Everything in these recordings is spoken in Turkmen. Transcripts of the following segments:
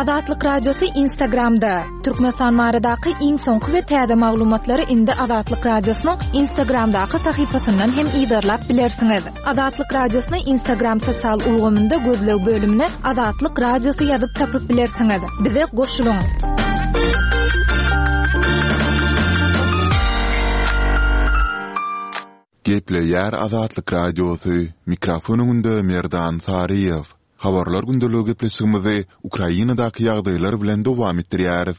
Azatlyk Radiosy Instagramda! Türkmenistan baradaky iň soňky we täze maglumatlary indi Azatlyk Radiosynyň Instagramdaky sahypasyndan hem yzarlap bilersiňiz. Azatlyk Radiosyny Instagram sosial ulgamynda gözleg bölümine Azatlyk Radiosy ýazyp tapyp bilersiňiz. Bize goşulyň! Gepleýär Azatlyk Radiosy, mikrofon öňünde Merdan Saryýew. Habarlar gündeligi gepleşigimizi Ukrainadaky ýagdaýlar bilen dowam etdirýäris.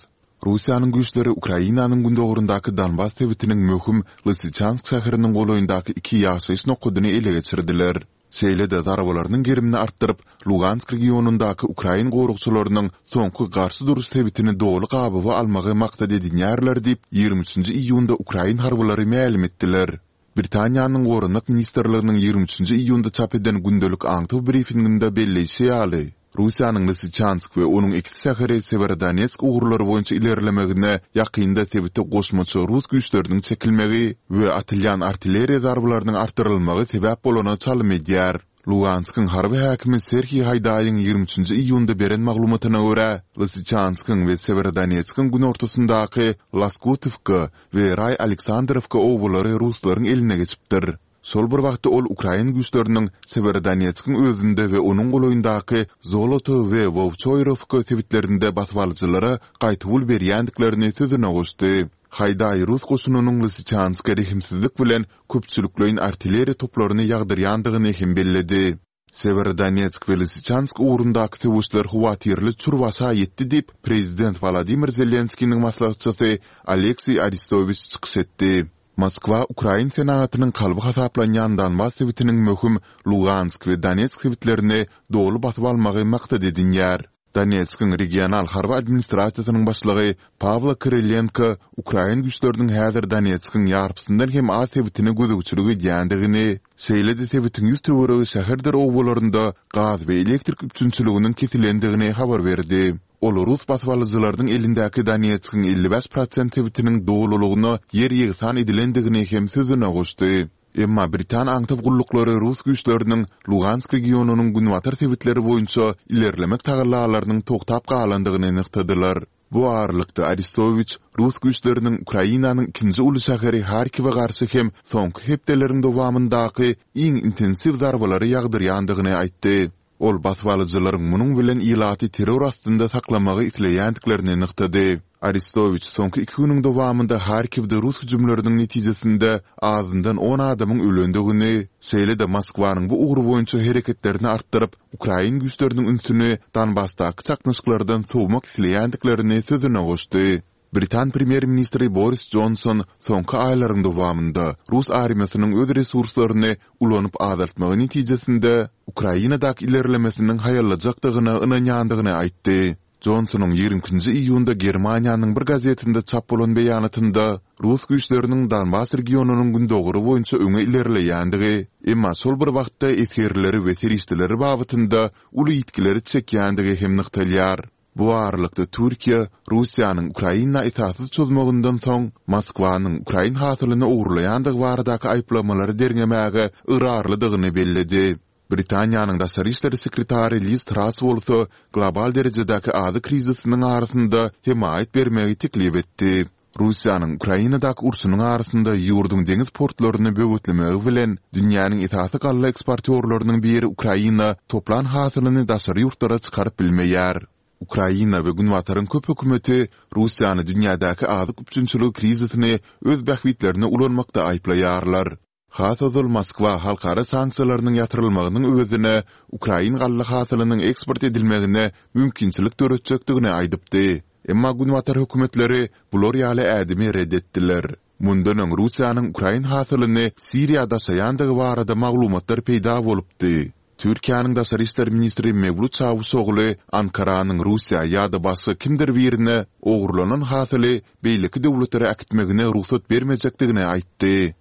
Russiýanyň güýçleri Ukrainanyň gündogaryndaky Donbas sebitiniň möhüm Lysyçansk şäheriniň golaýyndaky iki ýaşaýyş nokadyny ele geçirdiler. Şeýle-de zarbalarynyň gerimini artdyryp, Lugansk regionyndaky ukrain goragçylarynyň soňky garşy duruş sebitini doly gabawa almagy maksat edinýärler diýip, 23 nji iýunda ukrain harbylary mälim etdiler. Britaniýanyň Goranmak ministrliginiň 23 nji iýunda çap eden gündelik aňtaw brifinginde belleýşi ýaly, Russiýanyň Lysyçansk we onuň ekiz şäheri Sewerodonetsk ugurlary boýunça ilerlemegine ýakynda sebite goşmaça rus güýçleriniň çekilmegi we atylýan artilleriýa zarbalarynyň artdyrylmagy sebäp bolana çalym edýär. Luganskyň harby häkimi Serhiý Haýdaýyň 23 nji iýunda beren maglumatyna görä, Lysyçanskyň we Sewerodonetskiň günortasyndaky Laskutowka we Raý-Aleksandrowka obalary ruslaryň eline geçipdir. Şol bir wagtda ol ukrain güýçleriniň Sewerodonetskiň özünde we onuň golaýyndaky Zoloto we Wowçoýrowka sebitlerinde basybalyjylara gaýtawul berýändiklerini sözüne goşdy. Haýdaý rus goşunynyň Lysyçanska rehimsizlik bilen köpçülikleýin artilleriýa toplaryny ýagdyrýandygyny hem belledi. Sewerodonetsk we Lysyçansk ugrundaky söweşler howatyrly çür başa ýetdi diýip, prezident Wolodymyr Zelenskiniň maslahatçysy Oleksiý Arestowiç çykyş etdi. Moskwa ukrain senagatynyň kalby hasaplanýan Donbas sebitiniň möhüm Lugansk we Donetsk sebitlerini doly basyp almagy maksat edinýär. Donetskiň regional harby administrasiýasynyň başlygy Pawlo Kyrylenko ukrain güýçleriniň häzir Donetskiň ýarpysyndan hem az sebitine gözegçilik edýändigini, şeýle-de sebitiň ýüz töweregi şäherdir obalarynda gaz we elektrik üpjünçiliginiň kesilendigini habar berdi. Ol rus basybalyjylarynyň elindäki Donetskiň 55 prosent sebitiniň dolulygyna ýer ýegsan edilendigini hem sözüne goşdy. Emma britan aňtaw gulluklary rus güýçleriniň Lugansk regionynyň günbatar sebitleri boýunça ilerlemek tagallalarynyň togtap galandygyny nygtadylar. Bu aralykda, Arestowiç rus güýçleriniň Ukrainanyň ikinji uly şäheri Harkiwe garşy hem soňky hepdeleriň dowamyndaky iň intensiw zarbalary ýagdyrýandygyny aýtdy. Ol basybalyjylaryň munuň bilen ilaty terror astynda saklamagy isleýändiklerini nygtady. Arestowiç soňky iki günüň dowamynda Harkiwde rus hüjümleriniň netijesinde azyndan on adamyň ölendigini, şeýle-de Moskwanyň bu ugur boýunça hereketlerini artdyryp, ukrain güýçleriniň ünsüni Donbasdaky çaknyşyklardan sowmak isleýändiklerini sözüne goşdy. Britan premýer-ministri Boris Jonson soňky aýlaryň dowamynda rus armiýasynyň öz resurslaryny ulanyp azaltmagy netijesinde Ukrainadaky ilerlemesiniň haýallajakdygyna ynanýandygyny aýtdy. Jonsonyň 22-nji iýunda Germaniýanyň bir gazetinde çap bolan beýanatynda rus güýçleriniň Donbas regionynyň gündogary boýunça öňe ilerleýändigi, emma şol bir wagtda esgerleri we serişdeleri babatynda uly ýitgileri çekýändigi hem nygtalýar. Bu aralykda Türkiýe Russiýanyň Ukraina esassyz çozmagyndan soň Moskwanyň ukrain hasylyny ogurlaýandygy baradaky aýyplamalary derňemäge ygrarlydygyny belledi. Britaniýanyň daşary işler sekretary Liz Trass bolsa global derejedäki azyk krizisiniň arasynda hemaýat bermegi teklip etdi. Russiýanyň Ukrainadaky urşunyň arasynda ýurduň deňiz portlaryny böwetlemegi bilen, dünýäniň esasy galla eksportýorlarynyň biri Ukraina toplan hasylyny daşary ýurtlara çykaryp bilmeýär. Ukraina we Günbataryň köp hökümeti Russiýany dünýädäki azyk üpjünçiligi krizisini öz bähbitlerine ulanmakda aýyplaýarlar. Has ozal Moskwa halkara sanksiýalarynyň ýatyrylmagynyň öwezine ukrain galla hasylynyň eksport edilmegine mümkinçilik döretjekdigini aýdypdy. Emma günbatar hökümetleri bular ýaly ädimi ret etdiler. Mundan öň Russiýanyň ukrain hasylyny Siriýa daşaýandygy barada maglumatlar peýda bolupdy. Türkiýäniň daşary işler ministri Mewlut Çawuşogly Ankaranyň Russiýa ýa-da başga kimdir birine ogurlanan hasyly beýleki döwletlere äkitmegine rugsat bermejekdigini aýtdy.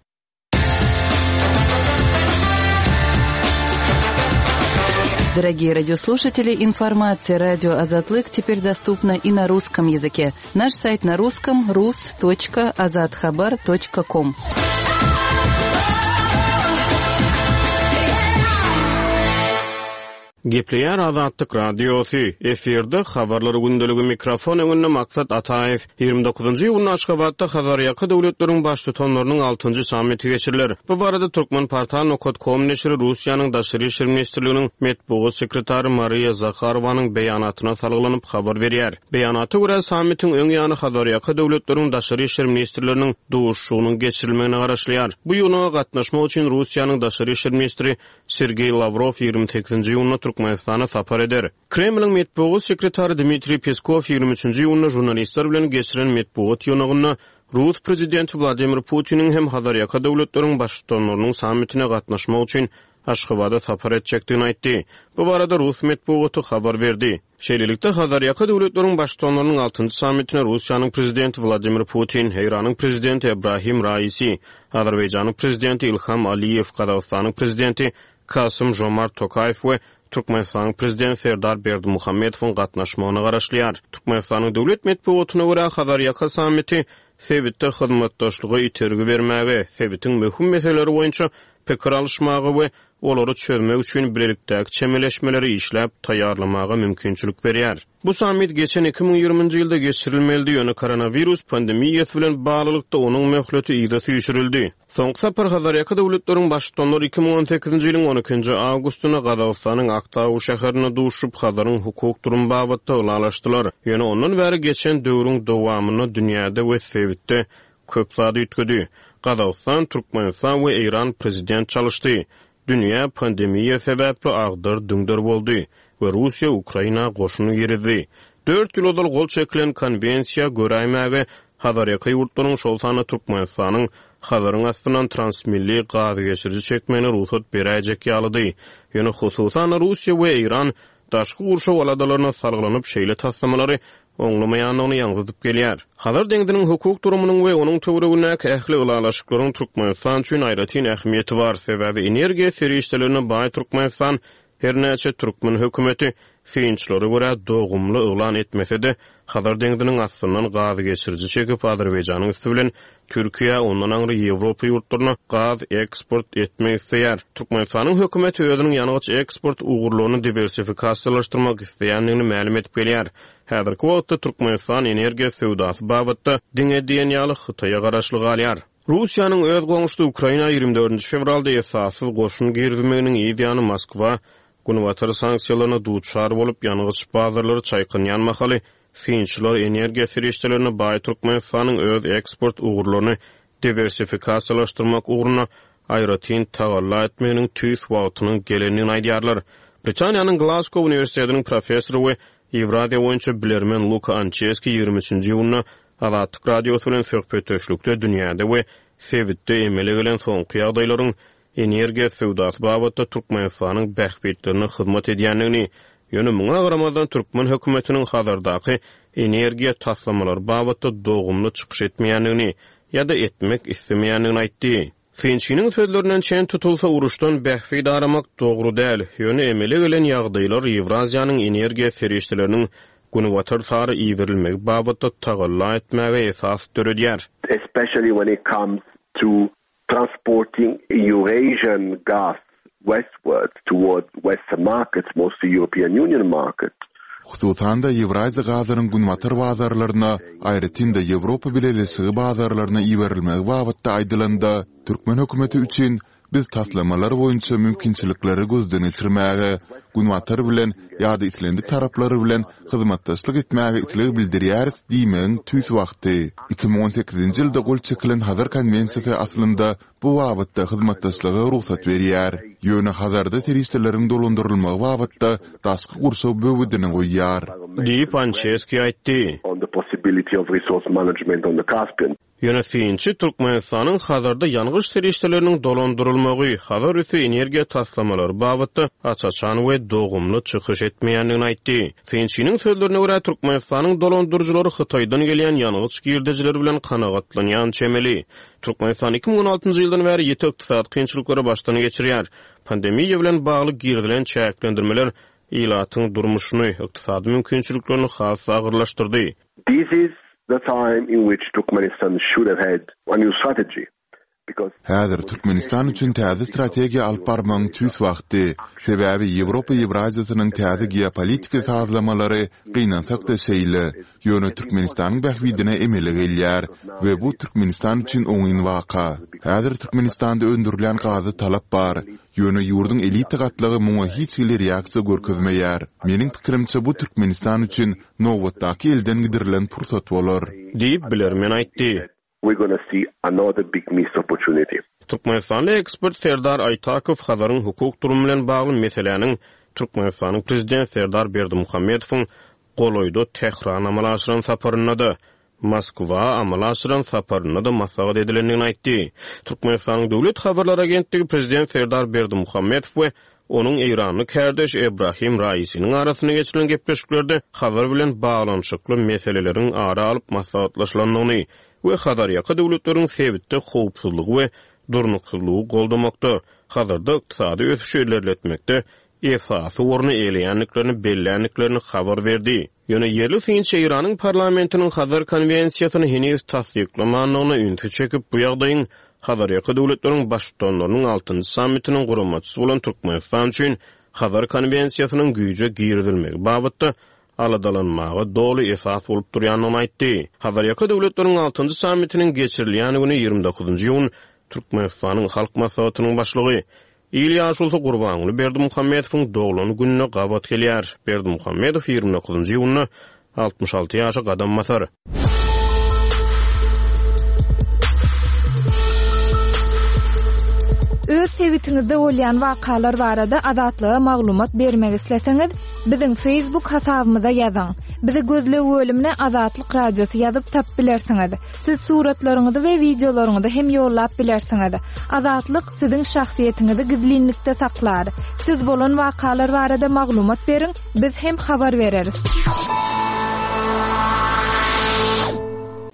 Дорогие радиослушатели, информация радио Азатлык теперь доступна и на русском языке. Наш сайт на русском rus.azathabar.com. Gepleýär Azatlyk Radiosy, efirde Habarlar gündeligi mikrofon öňünde Maksat Ataýew. 29-njy iýunda Aşgabatda Hazarýaka döwletleriň baştutanlarynyň altynjy sammiti geçiriler. Bu barada Turkmenportal nokat kom neşiri Russiýanyň Daşary işler ministrliginiň metbugat sekretary Mariýa Zaharowanyň beýanatyna salgylanyp habar berýär. Beýanata görä, sammitiň öň ýany Hazarýaka döwletleriň daşary işler ministrleriniň duşuşygynyň geçirilmegine garaşylýar. Bu ýygnaga gatnaşmak üçin Russiýanyň daşary işler ministri Sergeý Lawrow 28-nji iýunda Türkmenistana sapar eder. Kremliň metbugat sekretary Dmitriý Peskow 23-nji iýunda žurnalistler bilen geçiren metbugat ýygnagynda rus prezidenti Wladimir Putiniň hem Hazarýaka döwletleriň baştutanlarynyň sammitine gatnaşmak üçin Aşgabada sapar etjekdigini aýtdy. Bu barada rus metbugaty habar berdi. Şeýlelikde, Hazarýaka döwletleriň Baştutanlarynyň altynjy sammitine Russiýanyň Prezidenti Wladimir Putin, Eýranyň Prezidenti Ebrahim Raisi, Azerbaýjanyň Prezidenti Ilham Aliýew, Gazagystanyň Prezidenti Kasym-Žomart Tokaýew we Türkmenistanyň Prezidenti Serdar Berdimuhamedowyň gatnaşmagyna garaşylýar. Türkmenistanyň döwlet metbugatyna görä, Hazarýaka sammiti sebitde hyzmatdaşlyga itergi bermäge, sebitiň möhüm meseleleri boýunça pikir alyşmaga we olary çözmek üçin bilelikdäki çemeleşmeleri işläp taýýarlamaga mümkinçilik berýär. Bu sammit geçen 2020-nji ýylda geçirilmelidi, ýöne koronawirus pandemiýasy bilen baglylykda onuň möhleti yza süýşürildi. Soňky sapar Hazarýaka döwletleriň Baştutanlary 2018-nji ýylyň on ikinji awgustynda Gazagystanyň Aktau şäherinde duşuşyp, Hazaryň hukuk durumy babatda ylalaşdylar. Ýöne ondan bäri geçen döwrüň dowamynda dünýäde we sebitde Köp zat üýtgedi. Gazagystan, Türkmenistan we Eýran prezident çalyşdy. Dünýä pandemiýa sebäpli agdar-düňder boldy we Russiýa Ukraina goşun girizdi. Dört ýyl ozal gol çekilen konwensiýa göräýmäge Hazarýaka ýurtlaryň, şol sanda Türkmenistanyň Hazaryň astyndan transmilli gazgeçiriji çekmegine rugsat beräýjek ýalydy. Ýöne hususan-da Russiýa we Eýran daşky gurşaw aladalaryna salgylanyp şeýle taslamalary oňlamaýandygyny ýaňzydyp gelýär. Hazar deňziniň hukuk durumynyň we onuň töweregindäki ähli ylalaşyklaryň Türkmenistan üçin aýratyn ähmiýeti bar, sebäbi energiýa serişdelerine baý Türkmenistan her näçe türkmen hökümeti synçylara görä dogumly yglan etmese-de, Hazar deňziniň astyndan gazgeçiriji çekip Azerbaýjanyň üsti bilen Türkiýä, ondan aňry Ýewropa ýurtlaryna gaz eksport etmek isleýär. Türkmenistanyň hökümeti özüniň ýangyç eksport ugurlaryny diwersifikasiýalaşdyrmak isleýändigini mälim edip gelýär. Häzirki wagtda Türkmenistan energiýa söwdasy babatda diňe diýen ýaly Hytaýa garaşly galýar. Russiýanyň öz goňşusy Ukraina 24 nji fewralda esassyz goşun girizmeginiň yz ýany Moskwa Günbatar sanksiýalaryna duçar bolup, ýangyç bazarlary çaýkanýan mahaly, synçylar energiýa serişdelerine baý Türkmenistanyň öz eksport ugurlaryny diwersifikasiýalaşdyrmak ugrunda aýratyn tagalla etmeginiň tüýs wagtynyň gelendigini aýdýarlar. Britaniýanyň Glasgow uniwersitetiniň professory we Ýewraziýa boýunça bilermen Luka Ançeski 23-nji iýunda Azatlyk Radiosy bilen söhbetdeşlikde dünýäde we sebitde emele gelen soňky ýagdaýlaryň energiýa söwdasy babatda Türkmenistanyň bähbitlerine hyzmat edýändigini, ýöne muňa garamazdan türkmen hökümetiniň Hazardaky energiýa taslamalary babatda dogumly çykyş etmeýändigini ýa-da etmek islemeýändigini aýtdy. Synçynyň sözlerinden çen tutulsa, uruşdan bähbit aramak dogry däl, ýöne emele gelen ýagdaýlar Ýewraziýanyň energiýa serişdeleriniň Günbatar sary iberilmegi babatda tagalla etmäge esas döredýär. Especially when it comes to transporting Eurasian gas westwards towards western markets, mostly European Union markets. Hususan-da, Ýewraziýa gazynyň günbatar bazarlaryna, aýratyn-da, Ýewropa Bileleşigi bazarlaryna iberilmegi babatda aýdylanda, türkmen hökümeti üçin biz taslamalar boýunça mümkinçilikleri gözden geçirmäge, Günbatar bilen ýa-da islendik taraplar bilen hyzmatdaşlyk etmäge isleg bildirýäris diýmegiň tüýs wagty. 2018-nji ýylda gol çekilen Hazar konwensiýasy aslynda bu babatda hyzmatdaşlyga rugsat berýär. Ýöne Hazarda serişdeleriň dolandyrylmagy babatda daşky gurşaw böwedini goýýar. Diýip, Ançeski aýtdy. Ýöne synçy Türkmenistanyň Hazarda ýangyç serişdeleriniň dolandyrylmagy, Hazar üsti energiýa taslamalary babatda aç-açan we dogumly çykyş etmeýändigini aýtdy. Synçynyň sözlerine görä, Türkmenistanyň dolandyryjylary Hytaýdan gelýän ýangyç girdejileri bilen kanagatlanýan çemeli. Türkmenistan 2016-njy ýyldan bäri ýiti ykdysady kynçylyklary başdan geçirýär. Pandemiýa bilen bagly girizilen çäklendirmeler ilatyň durmuşyny, ykdysady mümkinçiliklerini has-da agyrlaşdyrdy. This is the time in which Turkmenistan should have had a new strategy. Häzir Türkmenistan üçin täze strategiýa alyp barmagyň tüýs wagty. Sebäbi Ýewropa Ýewraziýasynyň täze geopolitiki sazlamalary gynansak-da şeýle, ýöne Türkmenistanyň bähbidine emele gelýär we bu Türkmenistan üçin oňyn waka. Häzir Türkmenistanda öndürilýän gaza talap bar, ýöne ýurduň elita gatlagy muňa hiç hili reaksiýa görkezmeýär. Meniň pikirimçe bu Türkmenistan üçin nobatdaky elden gidirilen pursat bolar. Diýip, bilermen aýtdy. We're gonna see another big missed opportunity. Türkmenistanly ekspert Serdar Aýtakow Hazaryň hukuk durumy bilen bagly meseläniň Türkmenistanyň Prezidenti Serdar Berdimuhamedowyň golaýda Tährana amala aşyran saparynda-da, Moskwa amala aşyran saparynda-da maslahat edilendigini aýtdy. Türkmenistanyň Döwlet habarlar agentligi Prezident Serdar Berdimuhamedow we onuň eýranly kärdeşi Ebrahim Raisiniň arasynda geçirilen gepleşiklerde Hazar bilen baglanyşykly meseleleriň ara alyp maslahatlaşylandygyny we Hazarýaka döwletleriň sebitde howpsuzlygy we durnuksyzlygy goldamakda, Hazarda ykdysady ösüşi ilerletmekde esasy orny eýeleýändiklerini belländiklerini habar berdi. Ýöne ýerli synçy Eýranyň parlamentiniň Hazar konwensiýasyny heniz tassyklamandygyna ünsi çekip, bu ýagdaýyň Hazarýaka döwletleriň Baştutanlarynyň altynjy sammitiniň guramaçysy bolan Türkmenistan üçin Hazar konwensiýasynyň güýje girizilmegi babatda aladalanmaga doly esas bolup durýandygyny aýtdy. Hazarýaka döwletleriň altynjy sammitiniň geçirilýän güni 29 iýun Türkmenistanyň Halk Maslahatynyň Başlygy, Il ýaşulusy Gurbanguly Berdimuhamedowyň doglan gününe gabat gelýär. Berdimuhamedow 29 iýunda 66 ýaşa gadam basar. Öz sebitiňizde bolýan wakalar barada Azatlyga maglumat bermek isleseňiz, biziň Facebook hasabymyza ýazyň. Bizi gözleg bölümine Azatlyk Radiosy ýazyp tapyp bilersiňiz. Siz suratlaryňyzy we wideolaryňyzy hem ýollap bilersiňiz. Azatlyk siziň şahsyýetiňizi gizlinlikde saklar. Siz bolan wakalar barada maglumat beriň, biz hem habar bereris.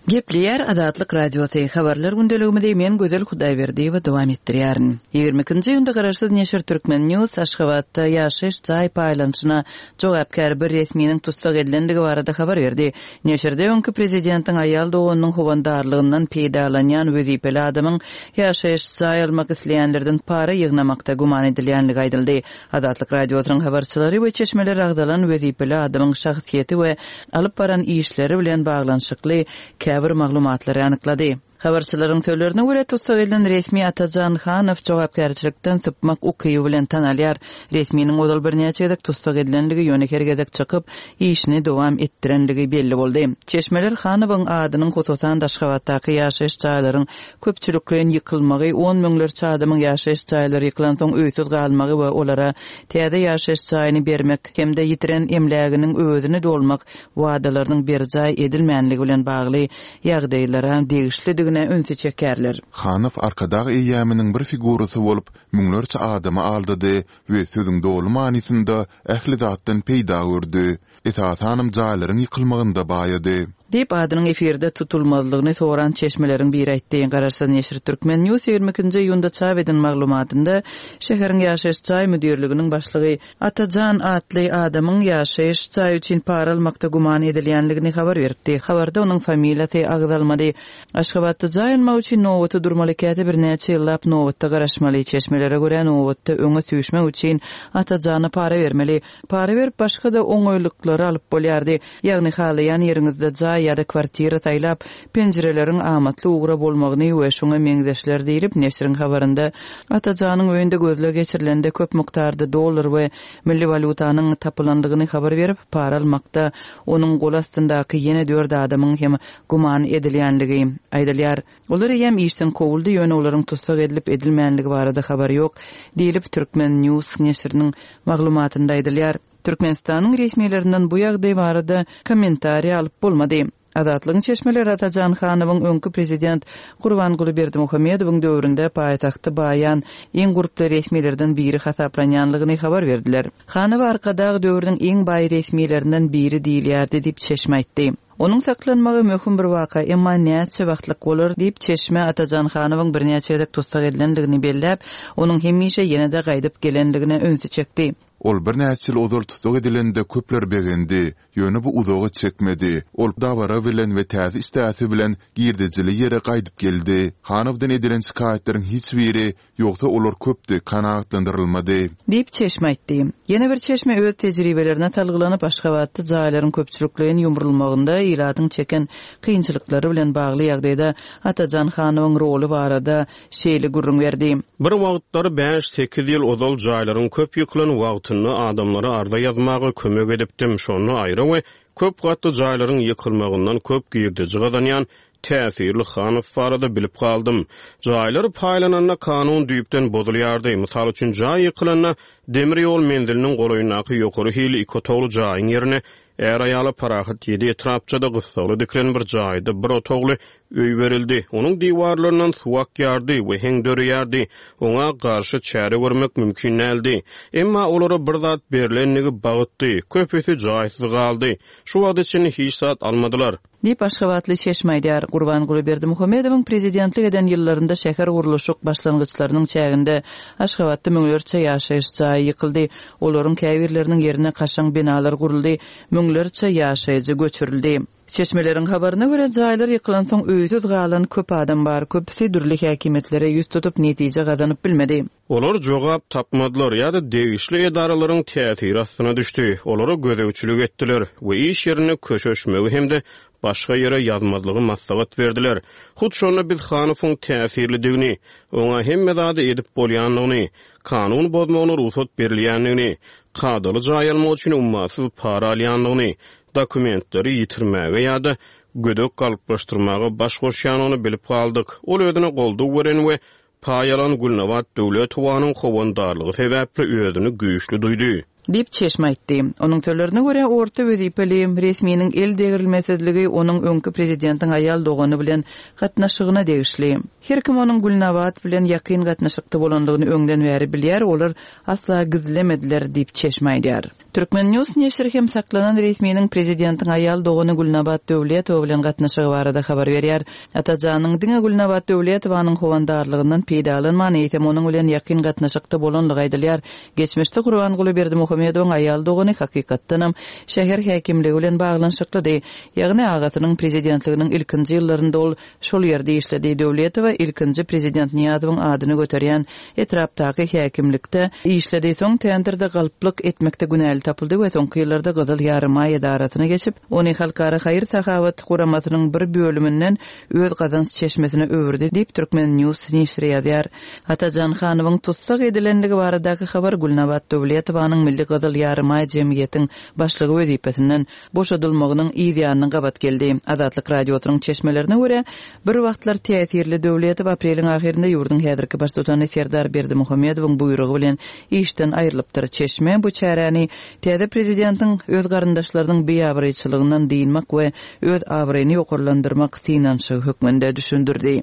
Gepleýär Azatlyk Radiosy, Habarlar gündeligimizi men Gözel Hudaýberdiýewa dowam etdirýärin. 22-nji iýunda garaşsyz neşir Turkmen News Aşgabatda ýaşaýyş jaý paýlanyşyna jogapkär bir resminiň tussag edilendigi barada habar berdi. Neşirde öňki prezidentiň aýal doganynyň howandarlygyndan peýdalanýan wezipeli adamyň ýaşaýyş jaý almak isleýänlerden para ýygnamakda güman edilýändigi aýdyldy. Azatlyk Radiosynyň habarçylary we çeşmeler agzalan wezipeli adamyň şahsyýeti we alyp baran işleri bilen baglanyşykly käbir maglumatlary anyklady. Habarçylaryň sözlerine görä, tussag edilen resmi Atajan Hanow jogapkärçilikden sypmak ukyby bilen tanalýar. Resminiň ozal birnäçe gezek tussag edilenligi, ýöne her gezek çykyp, işini dowam etdirenligi belli boldy. Çeşmeler Hanowyň adynyň hususan-da Aşgabatdaky ýaşaýyş jaýlaryň köpçülikleýin ýykylmagy, on müňlerçe adamyň ýaşaýyş jaýlary ýykylansoň öýsüz galmagy we olara täze ýaşaýyş jaýyny bermek hem-de ýitiren emläginiň öwezini dolmak wadalarynyň berjaý edilmänligi bilen bagly ýagdaýlara degişlidigine ünsi çekýärler. Hanow Arkadag eýýamynyň bir figurasy bolup, müňlerçe adamy aldady we sözüň doly manysynda ähli zatdan peýda gördi. Esasanam jaýlaryň ýykylmagynda baýady. Diýip, adynyň efirde tutulmazlygyny soran çeşmeleriň biri aýtdy. Garaşsyz neşir Turkmen. News 22-nji iýunda çap eden maglumatynda şäheriň ýaşaýyş jaý müdirliginiň başlygy Atajan atly adamyň ýaşaýyş jaýy üçin para almakda güman edilýändigini habar beripdi. Habarda onuň familiýasy agzalmady. Aşgabatda jaý almak üçin nobata durmaly, käte birnäçe ýyllap nobatda garaşmaly. Çeşmelere görä, nobatda öňe süýşmek üçin Atajana para bermeli. Para berip başga-da oňaýlyklary alyp bolýardy. Ýagny halaýan ýeriňizde jaý ýa-da kwartira saýlap, penjireleriň amatly ugra bolmagyny we şuňa meňzeşler diýlip, neşiriň habarynda Atajanyň öýünde gözleg geçirilende köp mukdarda dollar we milli walýutanyň tapylandygyny habar berip, para almakda onuň goly astyndaky ýene dört adamyň hem güman edilýänligi aýdylýar. Olar eýýäm işden kowuldy, ýöne olaryň tussag edilip-edilmänligi barada habar ýok, diýlip, Turkmen. News neşiriniň maglumatynda aýdylýar. Türkmenistanyň resmilerinden bu ýagdaý barada kommentariý alyp bolmady. Azatlygyň çeşmeleri Atajan Hanowyň öňki prezident Gurbanguly Berdimuhamedowyň döwründe paýtagtda baýan iň gurply resmilerden biri hasaplanýanlygyny habar berdiler. Hanowa Arkadag döwrüniň iň baý resmilerinden biri diýilýärdi diýip, çeşme aýtdy. Onuň saklanmagy möhüm bir waka, emma näçe wagtlyk bolar diýip, çeşme Atajan Hanowyň birnäçe gezek tussag edilendigini belläp, onuň hemişe ýene-de gaýdyp gelendigine ünsi çekdi. Ol birnäçe ýyl ozal tussag edilende köpler begendi. Ýöne bu uzaga çekmedi. Ol dabara bilen we täze işdäsi bilen girdejili ýere gaýdyp geldi. Hanowdan edilen şikaýatlaryň hiç biri, ýogsa olar köpdi, kanagatlandyrylmady. Diýip, çeşme aýtdy. Ýene bir çeşme öz tejribelerine salgylanyp, Aşgabatda jaýlaryň köpçülikleýin ýumrulmagynda ilatyň çeken kynçylyklary bilen bagly ýagdaýda Atajan Hanowyň roly barada şeýle gürrüň berdi. Bir wagtlar bäş-sekiz ýyl ozal jaýlaryň köp ýykylan wagtynda adamlara arza ýazmaga kömek edipdim. Şonda aýra we köp gatly jaýlaryň ýykylmagyndan köp girdeji gazanýan täsirli Hanow barada bilip galdym. Jaýlar paýlananda kanun düýpden bozulýardy. Mysal üçin, jaý ýykylanda demir ýol menziliniň golaýyndaky ýokary hilli iki otagly jaýyň ýerine är-aýala parahat ýedi etrapçada gyssagly dikilen bir jaýda bir otagly Öý berildi. Onuň diwarlaryndan suw akýardy we heň döreýärdi. Oňa garşy çäre görmek mümkin däldi. Emma olara bir zat berlendigi bagtdy. Köpüsi jaýsyz galdy. Şu wagta çenli hiç zat almadylar. Diýip, aşgabatly çeşme aýdýar. Gurbanguly Berdimuhamedowyň prezidentlik eden ýyllarynda şähergurluşyk başlangyçlarynyň çäginde Aşgabatda müňlerçe ýaşaýyş jaýy ýykyldy. Olaryň käbirleriniň ýerine kaşaň binalar guruldy, müňlerçe ýaşaýjy göçürildi. Çeşmeleriň habaryna görä, jaýlar ýykylansoň öýsüz galan köp adam bar, köpüsi dürli häkimiýetlere ýüz tutup, netije gazanyp bilmedi. Olar jogap tapmadylar ýa-da degişli edaralaryň täsiri astyna düşdi, olara gözegçilik etdiler we iş ýerinde köşeşmegi hem-de başga ýere ýazmazlygy maslahat berdiler. Hut şonda biz Hanowyň täsirlidigini, oňa hemme zady edip bolýandygyny, kanun bozmagyna rugsat berilýändigini, kadaly jaý almak üçin ummasyz para alýandygyny, dokumentleri ýitirmäge ýa-da gödek galplaşdyrmaga baş goşýanyny bilip galdyk. Ol özüne goldaw beren we paý alan Gülnabat Döwletowanyň howandarlygy sebäpli özüni güýçli duýdy. Diýip, çeşme aýtdy. Onuň sözlerine görä, orta wezipeli resminiň el degrilmesizligi onuň öňki prezidentiň aýal dogany bilen gatnaşygyna degişli. Her kim onuň Gülnabat bilen ýakyn gatnaşykda bolandygyny öňden bäri bilýär, olar asla gizlemediler diýip, çeşme aýdýar. Turkmen. News neşiri hem saklanan resminiň prezidentiň aýal dogany Gülnabat Döwletowa bilen gatnaşygy barada habar berýär. Atajanyň diňe Gülnabat Döwletowanyň howandarlygyndan peýdalanman, eýsem onuň bilen ýakyn gatnaşykda bolandygy aýdylýar. Geçmişde Gurbanguly Berdimuhamedowyň aýal dogany hakykatdanam şäher häkimligi bilen baglanyşyklydy. Ýagny agasynyň prezidentliginiň ilkinji ýyllarynda ol Şol ýerde işledi. Döwletowa ilkinji prezident Nyýazowyň adyny göterýän etrapdaky häkimlikde işledi. Soň tenderde galplyk etmekde günäli tapyldy we soňky ýyllarda Gyzyl Ýarymaý edarasyna geçip, ony halkara haýyr-sahawat guramasynyň bir bölüminden öz gazanç çeşmesine öwürdi diýip, Turkmen. News neşiri ýazýar. Atajan Hanowyň tussag edilendigi baradaky habar Gülnabat Döwletowanyň Milli Gyzyl Ýarymaý jemgyýetiň başlygy wezipesinden boşadylmagynyň yz ýanyna gabat geldi. Azatlyk Radiosynyň çeşmelerine görä, bir wagtlar täsirli Döwletow apreliň ahyrynda ýurduň häzirki baştutany Serdar Berdimuhamedowyň buýrugy bilen işden aýrylypdyr. Çeşme bu çäräni täze prezidentiň öz garyndaşlarynyň biabraýçylygyndan dynmak we öz abraýyny ýokarlandyrmak synanyşygy hökmünde düşündirdi.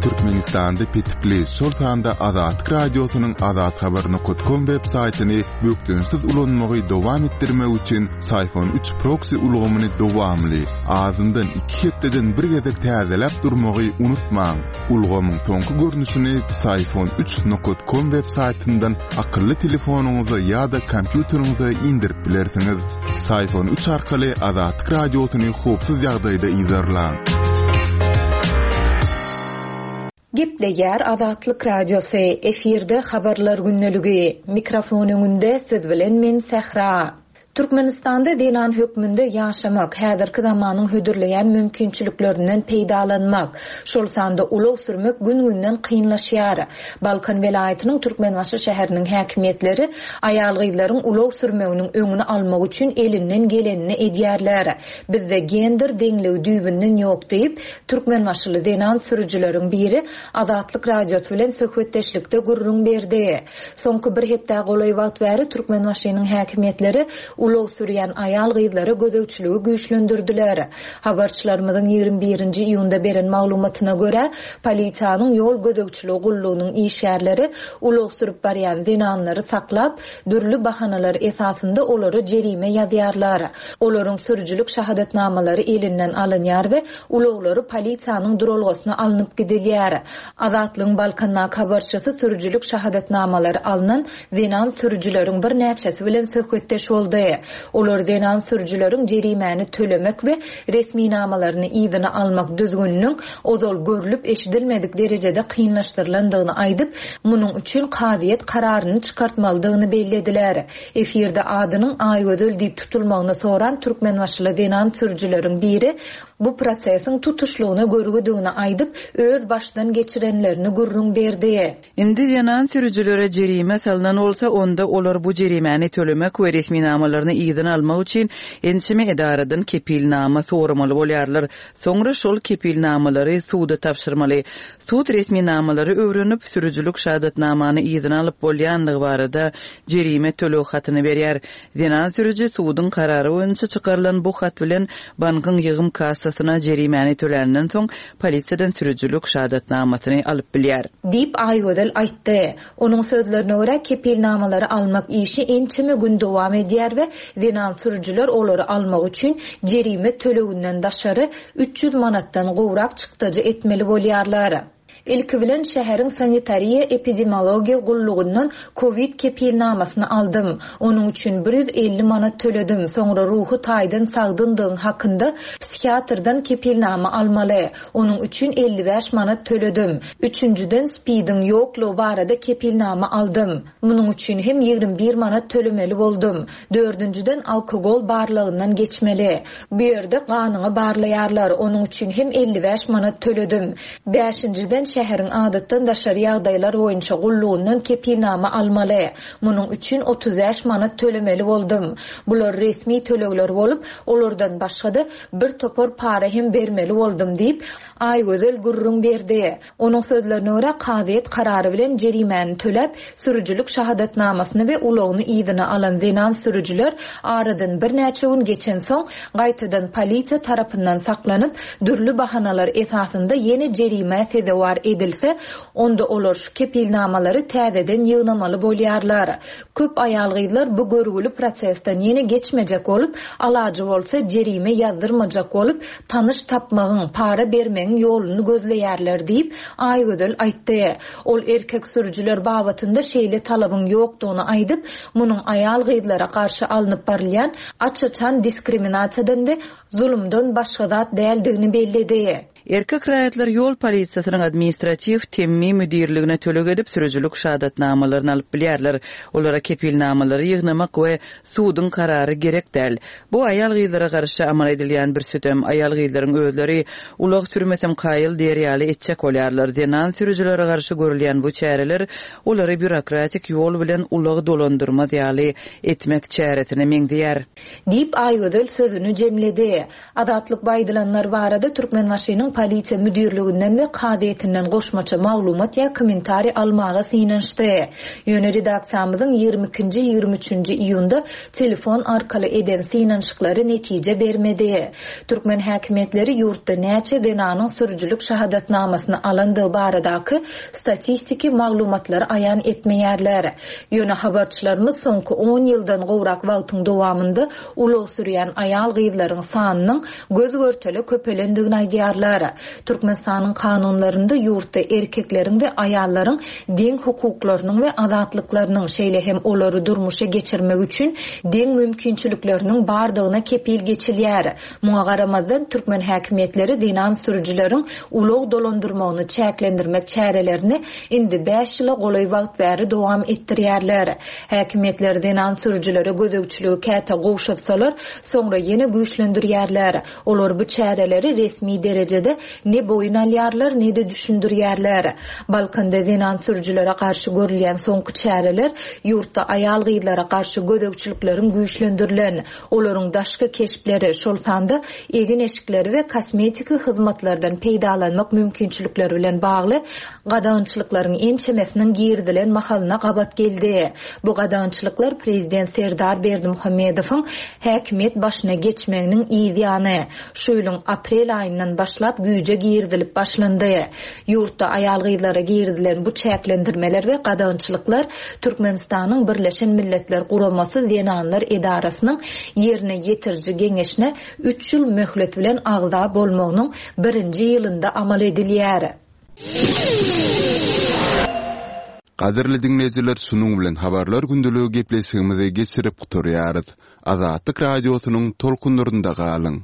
Türkmenistanda petikli, şol sanda Azatlyk Radiosynyň azathabar nokat kom web saýtyny bökdençsiz ulanmagy dowam etdirmek üçin Syfon üç proksi ulgamyny dowamly, azyndan iki hepdeden bir gezek täzeläp durmagy unutmaň. Ulgamyň soňky görnüşini Syfon üç nokat kom web saýtyndan akylly telefonyňyza ýa-da kompýuteriňize indirip bilersiňiz. Syfon üç arkaly Azatlyk Radiosyny howpsuz ýagdaýda yzarlaň. Gepleýär Azatlyk Radiosy, efirde Habarlar gündeligi. Mikrofon öňünde siz bilen men Sähra. Türkmenistanda zenan hökmünde ýaşamak, häzirki zamanyň hödürleýän mümkinçiliklerinden peýdalanmak, şol sanda ulag sürmek gün-günden kynlaşýar. Balkan welaýatynyň Türkmenbaşy şäheriniň häkimiýetleri aýal-gyzlaryň ulag sürmeginiň öňüni almak üçin elinden gelenini edýärler. Bizde gender deňligi düýbünden ýok diýip, türkmenbaşyly zenan sürüjileriň biri Azatlyk Radiosy bilen söhbetdeşlikde gürrüň berdi. Soňky bir hepdä golaý wagt bäri Türkmenbaşynyň häkimiýetleri. ulag sürýän aýal-gyzlara gözegçiligi güýçlendirdiler. Habarçylarymyzyň 21-nji iýunda beren maglumatyna görä, polisiýanyň ýol gözegçiligi gullugynyň işgärleri ulag sürüp barýan zenanlary saklap, dürli bahanalar esasynda olara jerime ýazýarlar. Olaryň sürüjilik şahadatnamalary elinden alynýar we ulaglary polisiýanyň duralgasyna alnyp gidilýär. Azatlygyň Balkandaky habarçysy sürüjilik şahadatnamalary alnan zenan sürüjileriň birnäçesi bilen söhbetdeş boldy. Olar zenan sürüjileriň jerimäni tölemek we resminamalaryny yzyna almak düzgüniniň ozal görlüp-eşidilmedik derejede kynlaşdyrylandygyny aýdyp, munuň üçin kazyýet kararyny çykartmalydygyny bellediler. Efirde adynyň Aýgözel diýip tutulmagyny soran türkmenbaşyly zenan sürüjileriň biri bu prosesiň tutuşlygyna görgüdigini aýdyp, öz başdan geçirenlerini gürrüň berdi. Indi zenan sürüjilere jerime salnan bolsa, onda olar bu jerimäni tölemek we resminamalaryny yzyna almak üçin ençeme edaradan kepilnama soramaly bolýarlar. Soňra şol kepilnamalary suda tabşyrmaly. Sud resminamalary öwrenip, sürüjilik şahadatnamany yzyna alyp bolýandygy barada jerime töleg hatyny berýär. Zenan sürüji suduň karary boýunça çykarylan bu hat bilen bankyň ýygym kassasyna jerimäni töländen soň, polisiýadan sürüjilik şahadatnamasyny alyp bilýär. Diýip, Aýgözel aýtdy. Onuň sözlerine görä, kepilnamalary almak işi ençeme gün dowam edýär we zenan sürüjiler olary almak üçin jerime töleginden daşary, 300 manatdan gowrak çykdajy etmeli bolýarlar. Ilki bilen şäheriň sanitariýa-epidemiologiýa gullugyndan kowid kepilnamasyny aldym. Onuň üçin 150 manat töledim. Soňra ruhy taýdan sagdyndygyň hakynda psihiatrdan kepilnama almaly. Onuň üçin 55 manat töledim. Üçünjiden SPID-iň ýoklugy barada kepilnama aldym. Munuň üçin hem 21 manat tölemeli boldum. Dördünjiden alkogol barlagyndan geçmeli. Bu ýerde ganyňy barlaýarlar, onuň üçin hem 55 manat töledim. Bäşinjiden şäheriň adatdan daşary ýagdaýlar boýunça gullugyndan kepilnama almaly. Munuň üçin 35 manat tölemeli boldum. Bular resmi tölegler bolup, olardan başga-da bir topar para hem bermeli boldum diýip, Aýgözel gürrüň berdi. Onuň sözlerine görä, kazyýet karary bilen jerimäni töläp, sürüjilik şahadatnamasyny we ulagyny yzyna alan zenan sürüjiler aradan birnäçe gün geçensoň, gaýtadan polisiýa tarapyndan saklanyp, dürli bahanalar esasynda ýene jerimä sezewar edilse, onda olar şu kepilnamalary täzeden ýygnamaly bolýarlar. Köp aýal-gyzlar bu görgüli prosesden ýene geçmejek bolup, alajy bolsa jerime ýazdyrmajak bolup, tanyş tapmagyň, para bermegiň ýoluny gözleýärler diýip, Aýgözel aýtdy. Ol erkek sürüjiler babatynda şeýle talabyň ýokdugyny aýdyp, munuň aýal-gyzlara garşy alnyp barylýan aç-açan diskriminasiýadan we zulumdan başga zat däldigini belledi. Erkek raýatlar ýol polisiýasynyň administratiw temmi müdirligine töleg edip, sürüjilik şahadatnamalaryny alyp bilýärler. Olara kepilnamalary ýygnamak we suduň karary gerek däl. Bu aýal-gyzlara garşy amal edilýän bir sütem. Aýal-gyzlaryň özleri ulag sürmesem kaýyl diýer ýaly etjek bolýarlar. Zenan sürüjilere garşy görülýän bu çäreler olary býurokratik ýol bilen ulag dolandyrmaz ýaly etmek çäresine meňzeýär. Diýip, Aýgözel sözüni jemledi. Azatlyk bu aýdylanlar barada Türkmenbaşynyň Polisiýa müdirliginden we kazyýetinden goşmaça maglumat ýa kommentariý almaga synanyşdy. Ýöne redaksiýamyzyň ýigrimi ikinji, ýigrimi üçünji iýunda telefon arkaly eden synanyşyklary netije bermedi. Türkmen häkimiýetleri ýurtda näçe zenanyň sürüjilik şahadatnamasyny alandygy baradaky statistiki maglumatlary aýan etmeýärler. Ýöne habarçylarymyz soňky on ýyldan gowrak wagtyň dowamynda ulag sürýän aýal-gyzlaryň sanynyň göz-görtele köpelendigini aýdýarlar. Türkmenistanyň kanunlarynda ýurtda erkekleriň we aýallaryň deň hukuklarynyň we azatlyklarynyň, şeýle hem olary durmuşa geçirmek üçin deň mümkinçilikleriniň bardygyna kepil geçilýär. Muňa garamazdan, türkmen häkimiýetleri zenan sürüjileriň ulag dolandyrmagyny çäklendirmek çärelerini indi bäş ýyla golaý wagt bäri dowam etdirýärler. Häkimiýetler zenan sürüjilere gözegçiligi käte gowşatsalar, soňra ýene güýçlendirýärler. Olar bu çäreleri resmi derejede. barada ne boýun alýarlar, ne-de düşündirýärler. Balkanda zenan sürüjilere garşy görülýän soňky çäreler ýurtda aýal-gyzlara garşy gözegçilikleriň güýçlendirilen, olaryň daşky keşpleri, şol sanda egin-eşikleri we kosmetiki hyzmatlardan peýdalanmak mümkinçilikleri bilen bagly gadagançylyklaryň ençemesiniň girizilen mahalyna gabat geldi. Bu gadagançylyklar prezident Serdar Berdimuhamedowyň häkimiýet başyna geçmeginiň yz ýany, şu ýylyň aprel aýyndan başlap güýje girizilip başlandy. Ýurtda aýal-gyzlara girizilen bu çäklendirmeler we gadagançylyklar Türkmenistanyň Birleşen Milletler Guramasy Zenanlar edarasynyň Ýerine ýetiriji geňeşine üç ýyl möhlet bilen agza bolmagynyň birinji ýylynda amal edilýär. Gadyrly diňleýjiler şunuň bilen habarlar gündeligi gepleşigimizi geçirip gutarýarys. Azatlyk Radiosynyň tolkunlarynda galyň.